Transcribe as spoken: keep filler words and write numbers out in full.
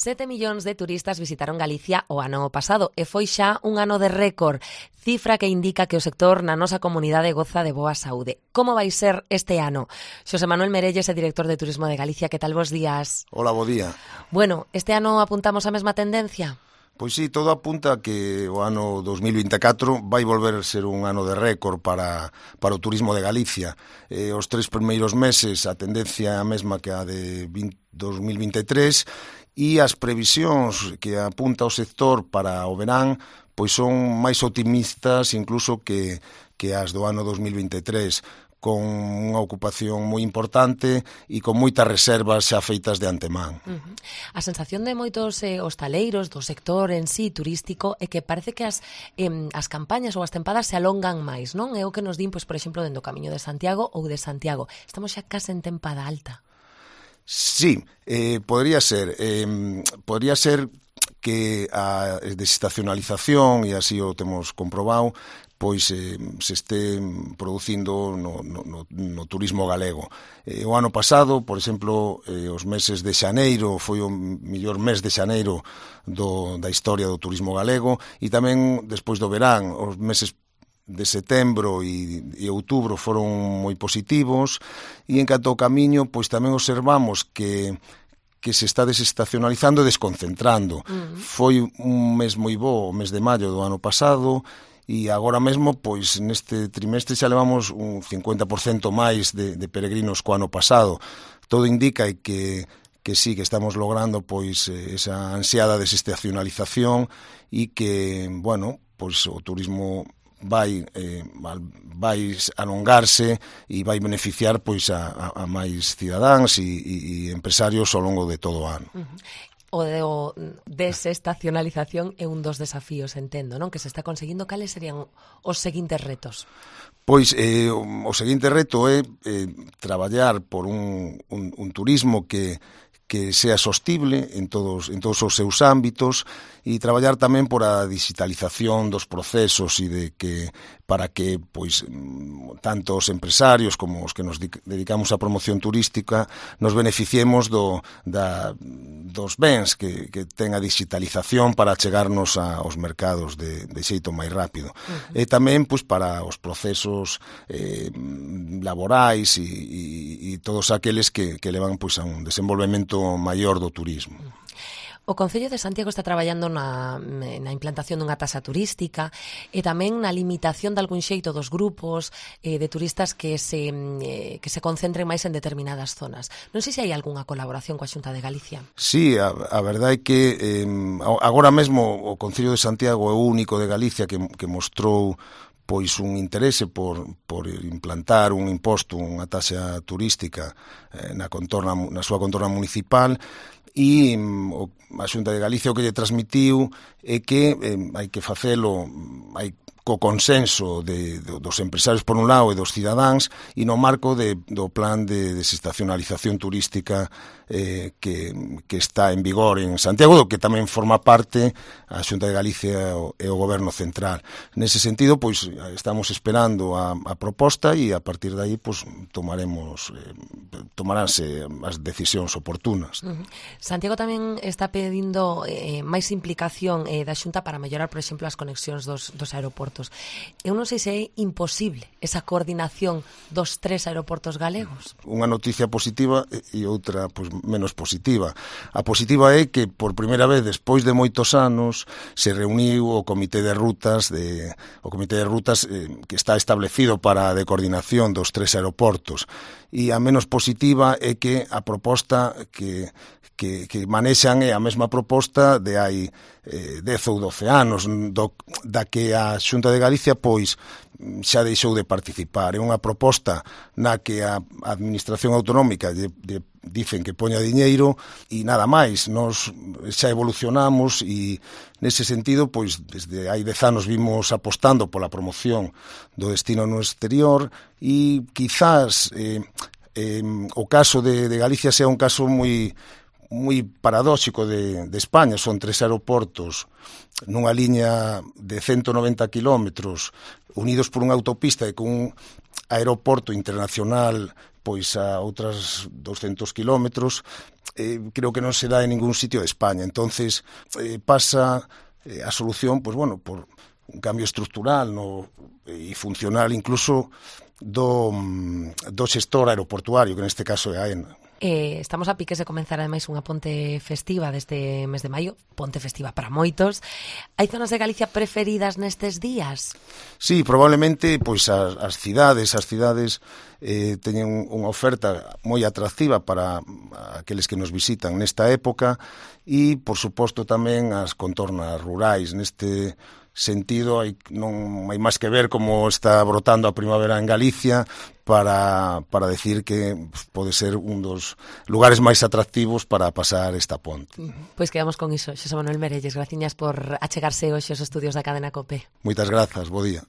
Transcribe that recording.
Sete millóns de turistas visitaron Galicia o ano pasado e foi xa un ano de récord, cifra que indica que o sector na nosa comunidade goza de boa saúde. Como vai ser este ano? Xosé Manuel Merelles é director de Turismo de Galicia. Que tal, bos días? Hola, bo día. Bueno, este ano apuntamos a mesma tendencia? Pois sí, todo apunta que o ano dos mil vinte e catro vai volver a ser un ano de récord para, para o turismo de Galicia. Eh, os tres primeiros meses a tendencia é a mesma que a de dos mil vinte e tres e as previsións que apunta o sector para o verán pois son máis optimistas incluso que, que as do ano dos mil vinte e tres, con unha ocupación moi importante e con moitas reservas xa feitas de antemán. Uh-huh. A sensación de moitos eh, hostaleiros do sector en sí turístico é que parece que as, eh, as campañas ou as tempadas se alongan máis, non? É o que nos din, pois, por exemplo, dentro do Camiño de Santiago ou de Santiago. Estamos xa case en tempada alta. Sí, eh, podría ser. Eh, podría ser que a desestacionalización, e así o temos comprobado, pois eh, se este producindo no, no, no turismo galego. Eh, o ano pasado, por exemplo, eh, os meses de xaneiro, foi o mellor mes de xaneiro do, da historia do turismo galego, e tamén despois do verán, os meses de setembro e, e outubro foron moi positivos, e en canto ao camiño, pois tamén observamos que que se está desestacionalizando e desconcentrando. Uh-huh. Foi un mes moi bo, o mes de maio do ano pasado, e agora mesmo, pois, neste trimestre xa levamos un cincuenta por cento máis de, de peregrinos co ano pasado. Todo indica que, que sí, que estamos logrando, pois, esa ansiada desestacionalización e que, bueno, pois, o turismo vai eh, vai alongarse e vai beneficiar pois a, a, a máis cidadáns e, e, e empresarios ao longo de todo o ano. Uh-huh. O de o desestacionalización é un dos desafíos, entendo, non? Que se está conseguindo. Cales serían os seguintes retos? Pois eh, o, o seguinte reto é eh, traballar por un, un, un turismo que que sea sostible en todos en todos os seus ámbitos e traballar tamén por a digitalización dos procesos e de que para que pois tanto os empresarios como os que nos dedicamos á promoción turística nos beneficiemos do da dos bens que, que ten a digitalización para chegarnos aos mercados de, de xeito máis rápido. Uh-huh. E tamén pois para os procesos eh, laborais e, e, e todos aqueles que, que levan pois a un desenvolvemento maior do turismo. O Concello de Santiago está traballando na, na implantación dunha taxa turística e tamén na limitación de algún xeito dos grupos eh, de turistas que se, eh, que se concentren máis en determinadas zonas. Non sei se hai algunha colaboración coa Xunta de Galicia. Sí, a, a verdade é que eh, agora mesmo o Concello de Santiago é o único de Galicia que, que mostrou pois un interese por, por implantar un imposto, unha taxa turística eh, na, contorna, na súa contorna municipal, e o, a Xunta de Galicia o que lle transmitiu é que eh, hai que facelo, hai co consenso de, de, dos empresarios por un lado e dos cidadáns e no marco de, do plan de desestacionalización turística eh, que, que está en vigor en Santiago, do que tamén forma parte a Xunta de Galicia e o, e o Goberno Central. Nese sentido, pois, estamos esperando a, a proposta e a partir de aí, pois, tomaremos eh, tomaránse as decisións oportunas. Uh-huh. Santiago tamén está pedindo eh, máis implicación eh, da Xunta para mellorar, por exemplo, as conexións dos, dos aeroportos. Eu non sei se é imposible esa coordinación dos tres aeroportos galegos. Unha noticia positiva e outra pois, menos positiva. A positiva é que por primeira vez despois de moitos anos se reuniu o Comité de Rutas de, o Comité de Rutas eh, que está establecido para a de coordinación dos tres aeroportos. E a menos positiva é que a proposta que que, que manexan é a mesma proposta de hai eh, dez ou doce anos, do, da que a Xunta de Galicia pois xa deixou de participar. É unha proposta na que a Administración Autonómica de, de, dicen que poña diñeiro e nada máis. Nos xa evolucionamos e nese sentido, pois desde hai dez anos vimos apostando pola promoción do destino no exterior e quizás eh, eh, o caso de, de Galicia sea un caso moi moi paradóxico de, de España. Son tres aeroportos nunha liña de ciento noventa kilómetros unidos por unha autopista e con un aeroporto internacional pois a outras doscientos kilómetros. Eh, creo que non se dá en ningún sitio de España. Entonces eh, pasa eh, a solución, pois bueno, por un cambio estructural no, e funcional incluso do, do xestor aeroportuario, que neste caso é AENA. Eh, estamos a piques de comenzar ademais unha ponte festiva deste mes de maio, ponte festiva para moitos. Hai zonas de Galicia preferidas nestes días? Sí, probablemente pois as, as cidades, as cidades eh, teñen unha oferta moi atractiva para aqueles que nos visitan nesta época e, por suposto, tamén as contornas rurais. Neste sentido, hai, non hai máis que ver como está brotando a primavera en Galicia para, para decir que pode ser un dos lugares máis atractivos para pasar esta ponte. Pois quedamos con iso. Xosé Manuel Merelles, graciñas por achegarse hoxe aos estudios da cadena COPE. Moitas grazas, bo día.